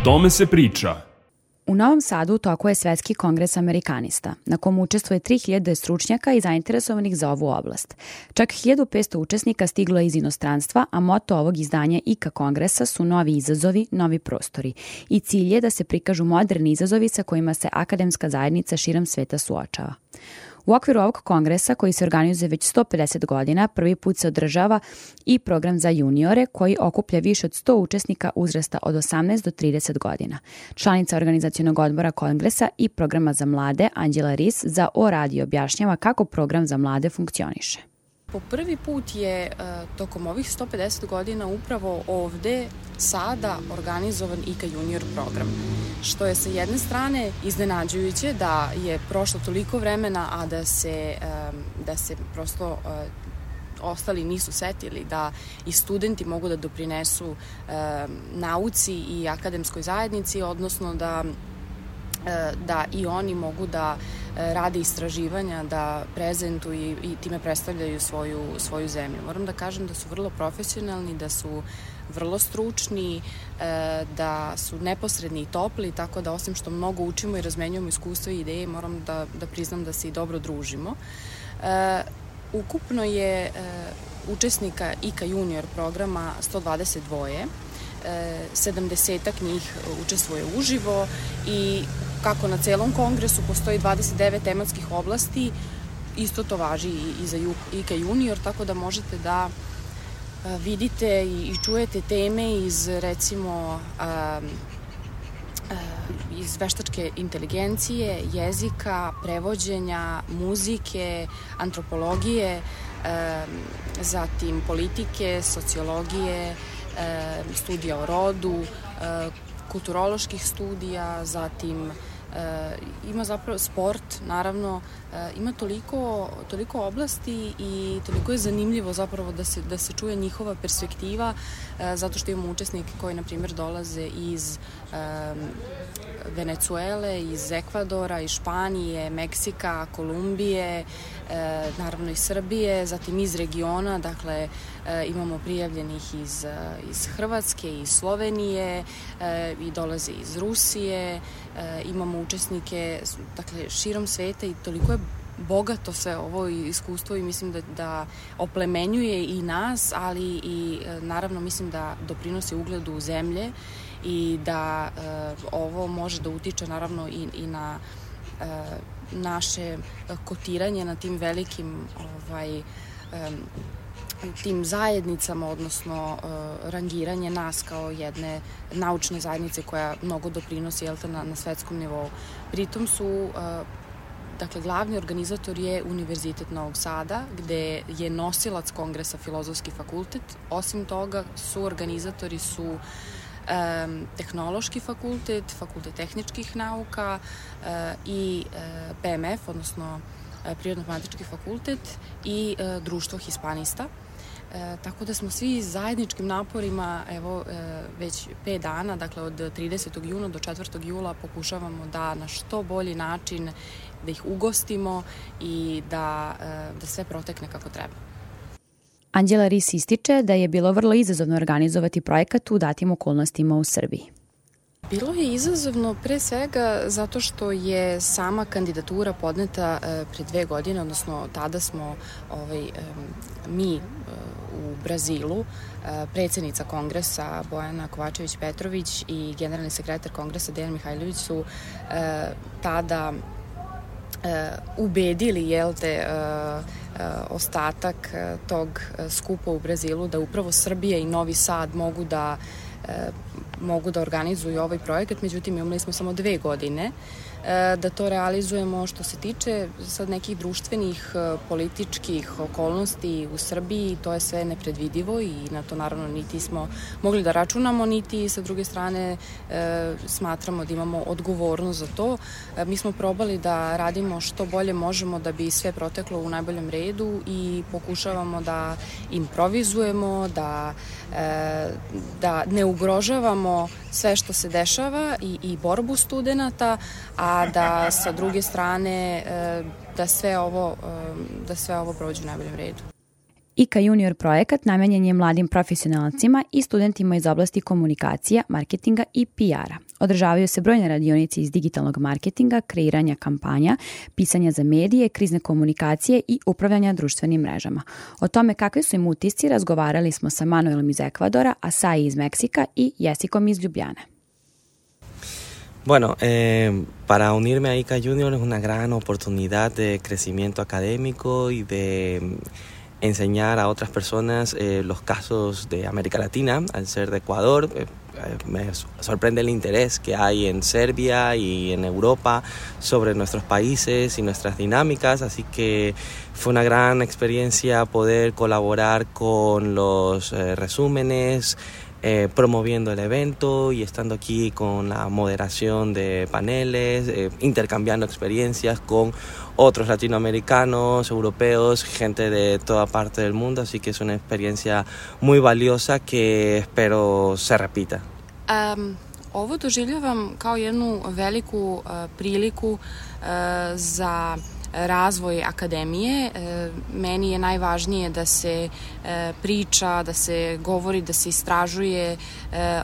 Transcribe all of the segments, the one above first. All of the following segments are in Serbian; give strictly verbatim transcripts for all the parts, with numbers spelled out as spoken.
tome se priča. U Novom Sadu u toku je Svetski kongres Amerikanista, na kom učestvuje tri hiljade stručnjaka i zainteresovanih za ovu oblast. Čak hiljadu petsto učesnika stiglo je iz inostranstva, a moto ovog izdanja I K A kongresa su novi izazovi, novi prostori. I cilj je da se prikažu moderni izazovi sa kojima se akademska zajednica širom sveta suočava. U okviru ovog kongresa, koji se organizuje već sto pedeset godina, prvi put se održava i program za juniore, koji okuplja više od sto učesnika uzrasta od osamnaest do trideset godina. Članica organizacionog odbora kongresa i programa za mlade, Anđela Ris, za O Radio objašnjava kako program za mlade funkcioniše. Po prvi put je tokom ovih sto pedeset godina upravo ovde sada organizovan I K A Junior program, što je sa jedne strane iznenađujuće da je prošlo toliko vremena, a da se, da se prosto ostali nisu setili da i studenti mogu da doprinesu nauci i akademskoj zajednici, odnosno da da i oni mogu da rade istraživanja, da prezentuju i time predstavljaju svoju, svoju zemlju. Moram da kažem da su vrlo profesionalni, da su vrlo stručni, da su neposredni i topli, tako da osim što mnogo učimo i razmenjujemo iskustva i ideje, moram da, da priznam da se i dobro družimo. Ukupno je učesnika I K A Junior programa sto dvadeset dva, sedamdesetak njih učestvuje uživo i kako na celom kongresu postoji dvadeset devet tematskih oblasti, isto to važi i za I K A Junior, tako da možete da vidite i čujete teme iz recimo iz veštačke inteligencije, jezika, prevođenja, muzike, antropologije, zatim politike, sociologije, studija o rodu, kulturoloških studija, zatim ima zapravo sport, naravno, ima toliko, toliko oblasti i toliko je zanimljivo zapravo da se, da se čuje njihova perspektiva, zato što imamo učesnike koji, na primjer, dolaze iz Venecuele, iz Ekvadora, iz Španije, Meksika, Kolumbije, naravno iz Srbije, zatim iz regiona, dakle imamo prijavljenih iz, iz Hrvatske, iz Slovenije i dolaze iz Rusije, imamo učesnike dakle, širom sveta i toliko je bogato sve ovo iskustvo i mislim da, da oplemenjuje i nas, ali i naravno mislim da doprinosi ugledu zemlje i da uh, ovo može da utiče naravno i, i na uh, naše kotiranje na tim velikim ovaj, um, tim zajednicama, odnosno uh, rangiranje nas kao jedne naučne zajednice koja mnogo doprinosi jel te, na, na svetskom nivou. Pritom su uh, Dakle, glavni organizator je Univerzitet Novog Sada, gde je nosilac kongresa Filozofski fakultet. Osim toga, su organizatori su um, Tehnološki fakultet, Fakultet tehničkih nauka uh, i uh, P M F, odnosno uh, Prirodno-matematički fakultet i uh, Društvo hispanista. E, tako da smo svi zajedničkim naporima, evo, e, već pet dana, dakle od tridesetog juna do četvrtog jula pokušavamo da na što bolji način da ih ugostimo i da, e, da sve protekne kako treba. Anđela Ris ističe da je bilo vrlo izazovno organizovati projekat u datim okolnostima u Srbiji. Bilo je izazovno pre svega zato što je sama kandidatura podneta e, pre dve godine, odnosno tada smo ovaj, e, mi e, u Brazilu, e, predsednica kongresa Bojana Kovačević-Petrović i generalni sekretar kongresa Dejan Mihajlović su e, tada e, ubedili jel te, e, e, ostatak e, tog skupa u Brazilu da upravo Srbija i Novi Sad mogu da e, mogu da organizuju ovaj projekat, međutim imali smo samo dve godine da to realizujemo. Što se tiče sad nekih društvenih, političkih okolnosti u Srbiji, to je sve nepredvidivo i na to naravno niti smo mogli da računamo, niti sa druge strane e, smatramo da imamo odgovornost za to. E, mi smo probali da radimo što bolje možemo da bi sve proteklo u najboljem redu i pokušavamo da improvizujemo, da, e, da ne ugrožavamo sve što se dešava i, i borbu studenata, a da sa druge strane da sve ovo, da sve ovo prođe u najboljem redu. I K A Junior projekat namenjen je mladim profesionalcima i studentima iz oblasti komunikacija, marketinga i P R-a. Održavaju se brojne radionice iz digitalnog marketinga, kreiranja kampanja, pisanja za medije, krizne komunikacije i upravljanja društvenim mrežama. O tome kakvi su im utisci razgovarali smo sa Manuelom iz Ekvadora, Asai iz Meksika i Jessikom iz Ljubljane. Bueno, eh, para unirme a I C A Junior es una gran oportunidad de crecimiento académico y de enseñar a otras personas eh, los casos de América Latina. Al ser de Ecuador, eh, me sorprende el interés que hay en Serbia y en Europa sobre nuestros países y nuestras dinámicas, así que fue una gran experiencia poder colaborar con los eh, resúmenes, Eh, promoviendo el evento y estando aquí con la moderación de paneles, eh, intercambiando experiencias con otros latinoamericanos, europeos, gente de toda parte del mundo, así que es una experiencia muy valiosa que espero se repita. Um, ovo doživljavam kao jednu veliku uh, priliku uh, za razvoj akademije. Meni je najvažnije da se priča, da se govori, da se istražuje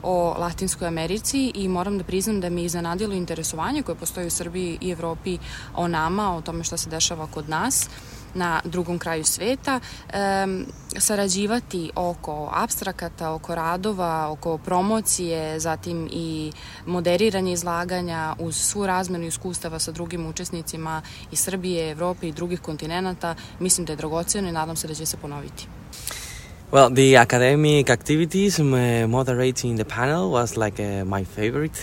o Latinskoj Americi i moram da priznam da mi je iznenadilo interesovanje koje postoji u Srbiji i Evropi o nama, o tome što se dešava kod nas na drugom kraju sveta, e, sarađivati oko apstrakata, oko radova, oko promocije, zatim i moderiranje izlaganja uz svu razmenu iskustava sa drugim učesnicima iz Srbije, Evrope i drugih kontinenata, mislim da je dragoceno i nadam se da će se ponoviti. Well, the academic activities, moderating the panel was like uh, my favorite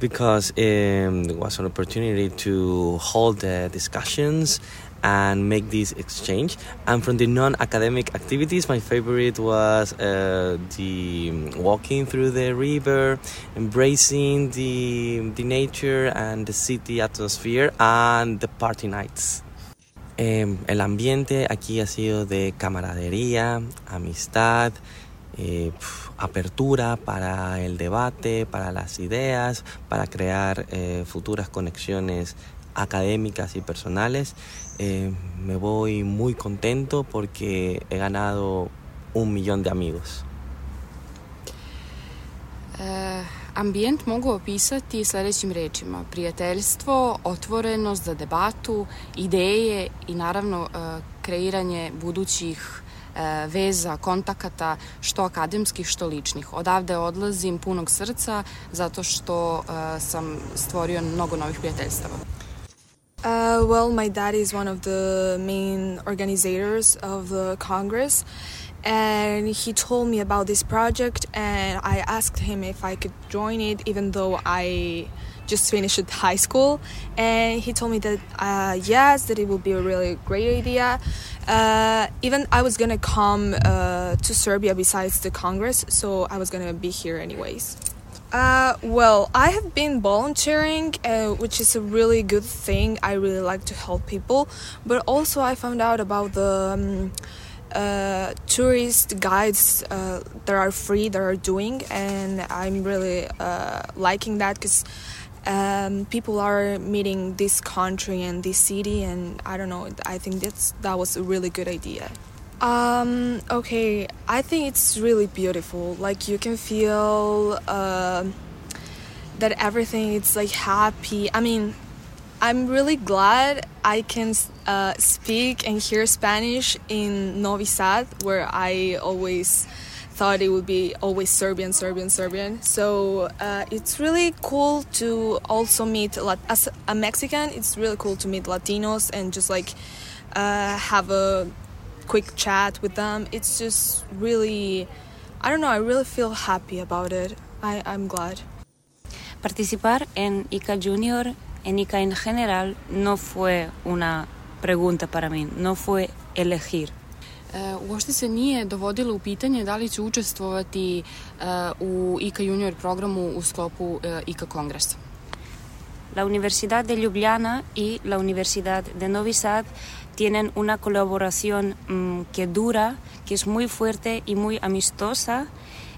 because um, it was an opportunity to hold uh, discussions and make this exchange. And from the non-academic activities, my favorite was uh, the walking through the river, embracing the the nature and the city atmosphere, and the party nights. Eh, el ambiente aquí ha sido de camaradería, amistad, eh, apertura para el debate, para las ideas, para crear eh, futuras conexiones académicas y personales. Eh, me voy muy contento porque he ganado un millón de amigos. E, ambijent mogu opisati sledećim rečima: prijateljstvo, otvorenost za debatu, ideje i naravno e, kreiranje budućih e, veza, kontakata, što akademskih, što ličnih. Odavde odlazim punog srca zato što e, sam stvorio mnogo novih prijateljstava. Uh, well, my dad is one of the main organizers of the Congress, and he told me about this project, and I asked him if I could join it, even though I just finished high school, and he told me that uh, yes, that it would be a really great idea. Uh, even I was gonna come uh, to Serbia besides the Congress, so I was gonna be here anyways. Uh, well, I have been volunteering, uh, which is a really good thing. I really like to help people, but also I found out about the um, uh, tourist guides uh, that are free, that are doing, and I'm really uh, liking that because um, people are meeting this country and this city, and I don't know, I think that's that was a really good idea. Um, okay, I think it's really beautiful. Like, you can feel uh, that everything is like happy. I mean, I'm really glad I can uh, speak and hear Spanish in Novi Sad, where I always thought it would be always Serbian, Serbian, Serbian. So uh, it's really cool to also meet, as a Mexican, it's really cool to meet Latinos and just like uh, have a quick chat with them. It's just really, I don't know, I really feel happy about it. I, I'm glad. Participar en I C A Junior, en I C A en general, no fue una pregunta para mí, no fue elegir. E, uopšte se nije dovodilo u pitanje da li ću učestvovati e, u I C A Junior programu u sklopu e, I C A kongresa. La Universidad de Ljubljana y la Universidad de Novi Sad tienen una colaboración mmm, que dura, que es muy fuerte y muy amistosa.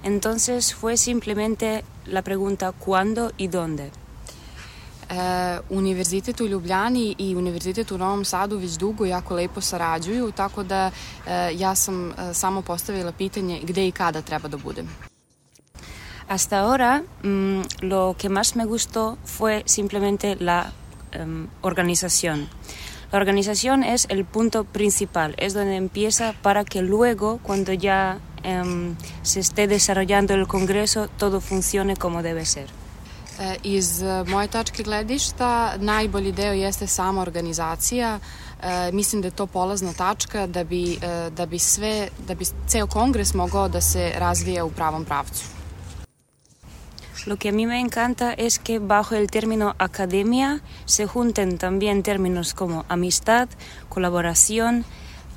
Entonces fue simplemente la pregunta ¿cuándo y dónde? E, Univerzitet u Ljubljani i Univerzitet u Novom Sadu već dugo jako lepo sarađuju, tako da e, ja sam e, samo postavila pitanje gde i kada treba da budem. Hasta ahora, mmm, lo que más me gustó fue simplemente la um, organización. La organización es el punto principal, es donde empieza para que luego, cuando ya um, se esté desarrollando el Congreso, todo funcione como debe ser. E, iz moje tačke gledišta najbolji deo jeste sama organizacija. E, mislim da je to polazna tačka da bi, e, da bi sve, da bi ceo Kongres mogao da se razvija u pravom pravcu. Lo que a mí me encanta es que bajo el término academia se junten también términos como amistad, colaboración,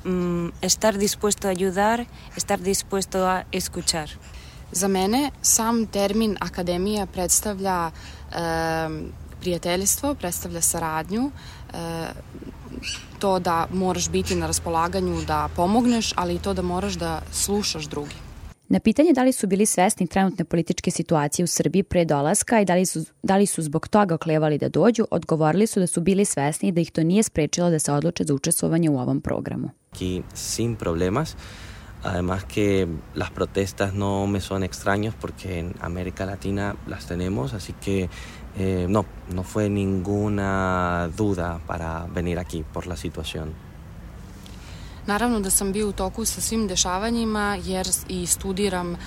mmm, estar dispuesto a ayudar, estar dispuesto a escuchar. Za mene sam termin akademija predstavlja e, prijateljstvo, predstavlja saradnju, e, to da moraš biti na raspolaganju da pomogneš, ali i to da moraš da slušaš drugi. Na pitanje da li su bili svesni trenutne političke situacije u Srbiji pre dolaska i da li su, da li su zbog toga oklevali da dođu, odgovorili su da su bili svesni i da ih to nije sprečilo da se odluče za učestvovanje u ovom programu. Aquí sin problemas. Además que las protestas no me son extraños porque en América Latina las tenemos, así que eh, no, no fue ninguna duda para venir aquí por la situación. Naravno da sam bio u toku sa svim dešavanjima jer i studiram e,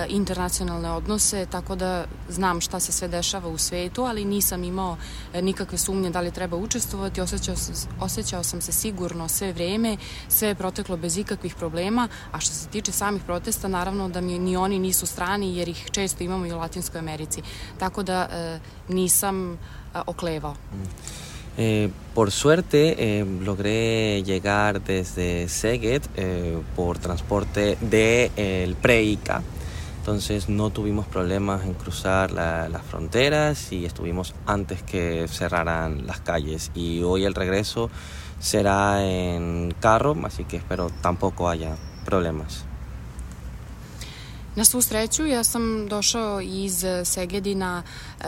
internacionalne odnose, tako da znam šta se sve dešava u svetu, ali nisam imao e, nikakve sumnje da li treba učestvovati. Osjećao sam, osjećao sam se sigurno sve vreme, sve je proteklo bez ikakvih problema, a što se tiče samih protesta, naravno da mi ni oni nisu strani jer ih često imamo i u Latinskoj Americi, tako da e, nisam e, oklevao. Mm. Eh, por suerte eh, logré llegar desde Szeged eh, por transporte del de, pre-I C A, entonces no tuvimos problemas en cruzar la, las fronteras y estuvimos antes que cerraran las calles, y hoy el regreso será en carro, así que espero tampoco haya problemas. Na svu sreću, ja sam došao iz Segedina e,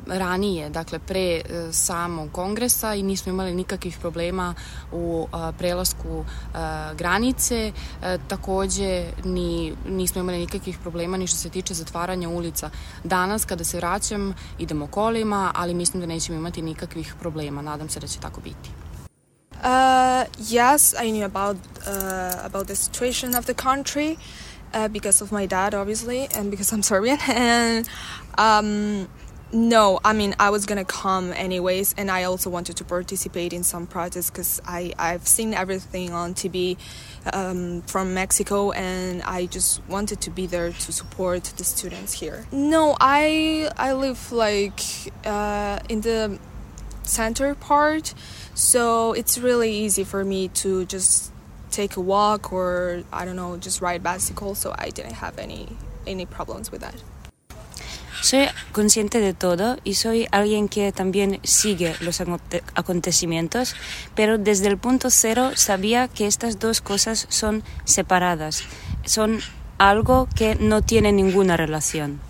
ranije, dakle pre e, samog kongresa, i nismo imali nikakvih problema u e, prelasku e, granice. E, takođe ni, nismo imali nikakvih problema ni što se tiče zatvaranja ulica. Danas kada se vraćam idemo kolima, ali mislim da nećemo imati nikakvih problema. Nadam se da će tako biti. Uh, yes, I knew about uh, about the situation of the country. Uh, because of my dad, obviously, and because I'm Serbian. And um, no, I mean, I was gonna come anyways, and I also wanted to participate in some protests because I I've seen everything on T V um, from Mexico, and I just wanted to be there to support the students here. No, I I live like uh, in the center part, so it's really easy for me to just take a walk or, I don't know, just ride bicycle, so I didn't have any any problems with that. Soy consciente de todo y soy alguien que también sigue los acontecimientos, pero desde el punto cero sabía que estas dos cosas son separadas, son algo que no tiene ninguna relación.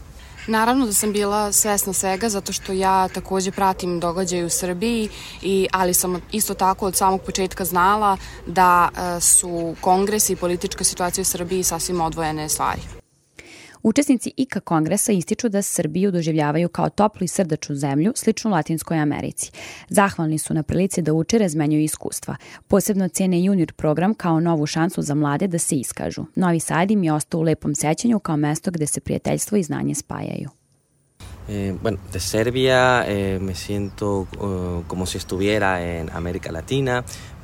Naravno da sam bila svesna svega zato što ja takođe pratim događaje u Srbiji, i, ali sam isto tako od samog početka znala da e, su kongres i politička situacija u Srbiji sasvim odvojene stvari. Učesnici I C A kongresa ističu da Srbiju doživljavaju kao toplu i srdačnu zemlju, sličnu Latinskoj Americi. Zahvalni su na prilici da uče, razmenjuju iskustva. Posebno cene junior program kao novu šansu za mlade da se iskažu. Novi Sad im je ostao u lepom sećanju kao mesto gde se prijateljstvo i znanje spajaju. Eh, bueno, de Serbia eh, me siento uh, como si estuviera en América Latina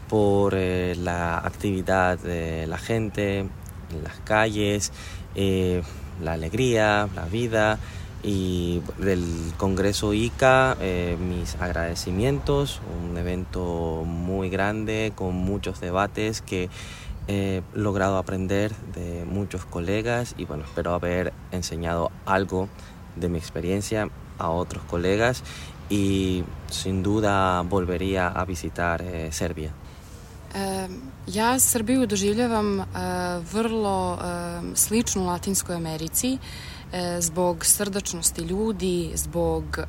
por eh, la actividad de la gente en las calles, eh, la alegría, la vida, y del Congreso I C A eh, mis agradecimientos, un evento muy grande con muchos debates que he logrado aprender de muchos colegas, y bueno, espero haber enseñado algo de mi experiencia a otros colegas, y sin duda volvería a visitar eh, Serbia. E, Ja Srbiju doživljavam uh, vrlo uh, sličnu Latinskoj Americi, zbog srdačnosti ljudi, zbog uh,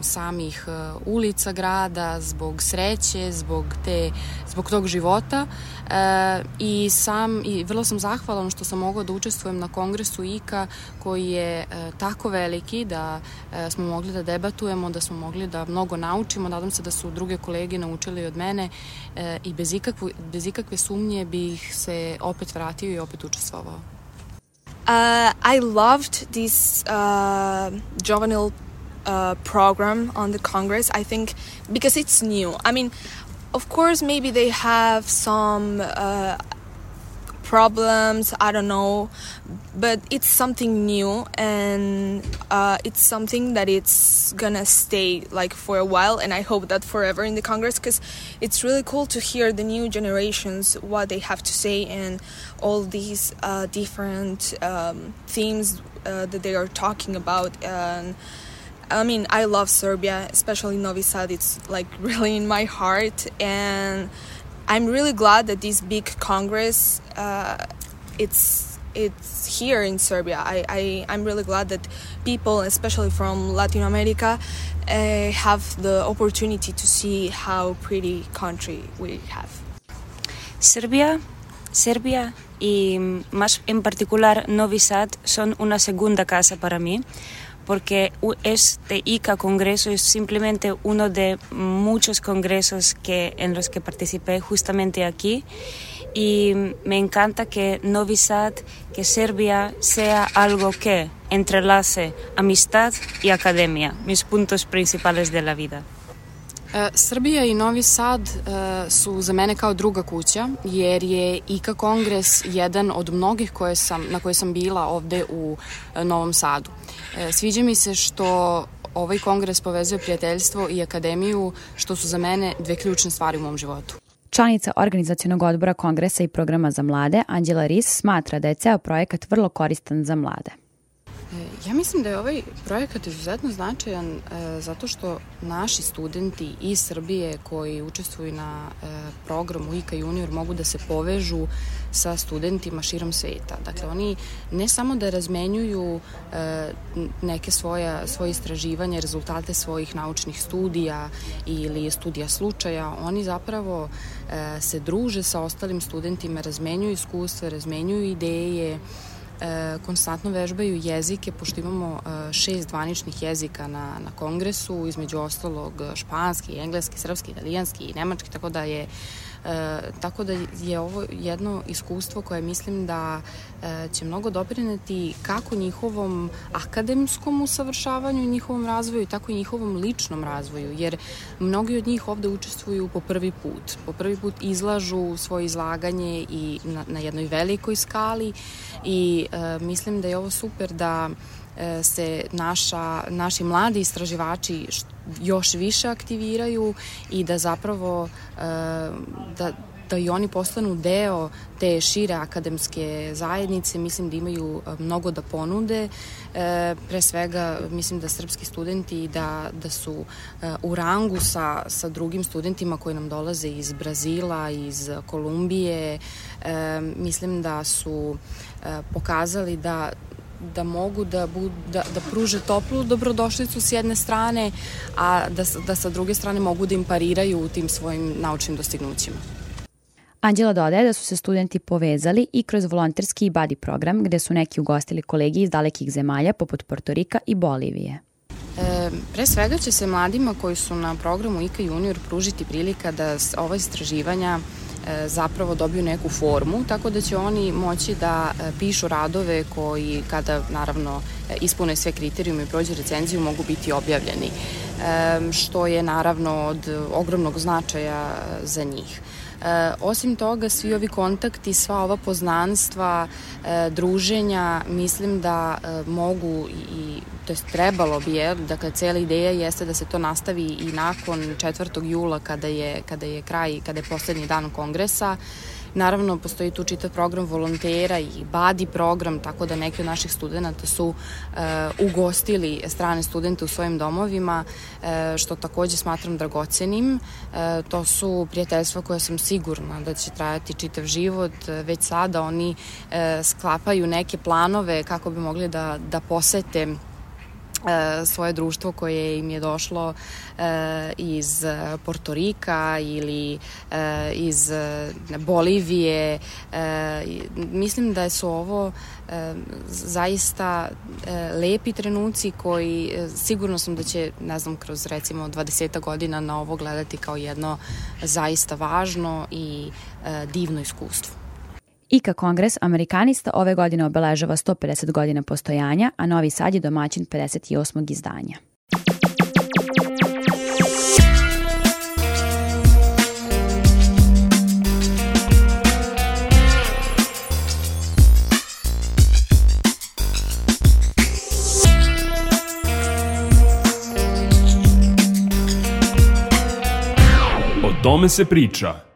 samih uh, ulica grada, zbog sreće, zbog te, zbog tog života uh, i sam i vrlo sam zahvalan što sam mogla da učestvujem na kongresu I K A koji je uh, tako veliki da uh, smo mogli da debatujemo, da smo mogli da mnogo naučimo. Nadam se da su druge kolege naučili od mene uh, i bez ikakve, bez ikakve sumnje bih se opet vratio I opet učestvovao. Uh, I loved this uh, juvenile uh, program on the Congress, I think, because it's new. I mean, of course, maybe they have some uh, problems, I don't know, but it's something new, and uh, it's something that it's gonna stay like for a while, and I hope that forever in the Congress, because it's really cool to hear the new generations, what they have to say, and all these uh, different um, themes uh, that they are talking about. And I mean, I love Serbia, especially Novi Sad. It's like really in my heart, and I'm really glad that this big Congress, uh, it's it's here in Serbia. I, I, I'm really glad that people, especially from Latin America, uh, have the opportunity to see how pretty country we have. Serbia, Serbia y más en particular Novi Sad son una segunda casa para mí, porque este I C A Congreso es simplemente uno de muchos congresos que, en los que participé justamente aquí, y me encanta que Novi Sad, que Serbia sea algo que entrelace amistad y academia, mis puntos principales de la vida. E, Srbija I Novi Sad e, su za mene kao druga kuća, jer je I K A Kongres jedan od mnogih koje sam, na koje sam bila ovde u e, Novom Sadu. E, sviđa mi se što ovaj kongres povezuje prijateljstvo I akademiju, što su za mene dve ključne stvari u mom životu. Članica organizacionog odbora kongresa I programa za mlade, Anđela Ris, smatra da je ceo projekat vrlo koristan za mlade. Ja mislim da je ovaj projekat izuzetno značajan e, zato što naši studenti iz Srbije koji učestvuju na e, programu I K A Junior mogu da se povežu sa studentima širom sveta. Dakle, oni ne samo da razmenjuju e, neke svoja, svoje istraživanja, rezultate svojih naučnih studija ili studija slučaja, oni zapravo e, se druže sa ostalim studentima, razmenjuju iskustva, razmenjuju ideje, E, konstantno vežbaju jezike, pošto imamo e, šest zvaničnih jezika na, na kongresu, između ostalog španski, engleski, srpski, italijanski I nemački, tako da je E, tako da je ovo jedno iskustvo koje mislim da e, će mnogo doprineti kako njihovom akademskom usavršavanju I njihovom razvoju, tako I njihovom ličnom razvoju, jer mnogi od njih ovde učestvuju po prvi put. Po prvi put izlažu svoje izlaganje I na, na jednoj velikoj skali I e, mislim da je ovo super da se naša, naši mladi istraživači još više aktiviraju I da zapravo da, da I oni postanu deo te šire akademske zajednice. Mislim da imaju mnogo da ponude. Pre svega mislim da srpski studenti da, da su u rangu sa, sa drugim studentima koji nam dolaze iz Brazila, iz Kolumbije. Mislim da su pokazali da da mogu da, bu, da, da pruže toplu dobrodošlicu s jedne strane, a da, da sa druge strane mogu da im pariraju u tim svojim naučnim dostignućima. Anđela dodaje da su se studenti povezali I kroz volonterski I buddy program, gde su neki ugostili kolegi iz dalekih zemalja poput Portorika I Bolivije. E, pre svega će se mladima koji su na programu I K A Junior pružiti prilika da ova istraživanja zapravo dobiju neku formu, tako da će oni moći da pišu radove koji, kada naravno ispune sve kriterijume I prođe recenziju, mogu biti objavljeni, što je naravno od ogromnog značaja za njih. E, osim toga, svi ovi kontakti, sva ova poznanstva, e, druženja, mislim da e, mogu i, to jest trebalo bi, je, dakle, cijela ideja jeste da se to nastavi I nakon četvrtog jula kada je, kada je kraj, kada je poslednji dan kongresa Naravno, postoji tu čitav program volontera i badi program, tako da neki od naših studenta su uh, ugostili strane studente u svojim domovima, uh, što takođe smatram dragocenim. Uh, to su prijateljstva koja sam sigurna da će trajati čitav život. Već sada oni uh, sklapaju neke planove kako bi mogli da, da posete svoje društvo koje im je došlo iz Portorika ili iz Bolivije. Mislim da su ovo zaista lepi trenuci koji sigurno sam da će, ne znam, kroz recimo dvadesetak godina na ovo gledati kao jedno zaista važno i divno iskustvo. I ka Kongres Amerikanista ove godine obeležava sto pedeset godina postojanja, a Novi Sad je domaćin pedeset osmog izdanja. O tome se priča.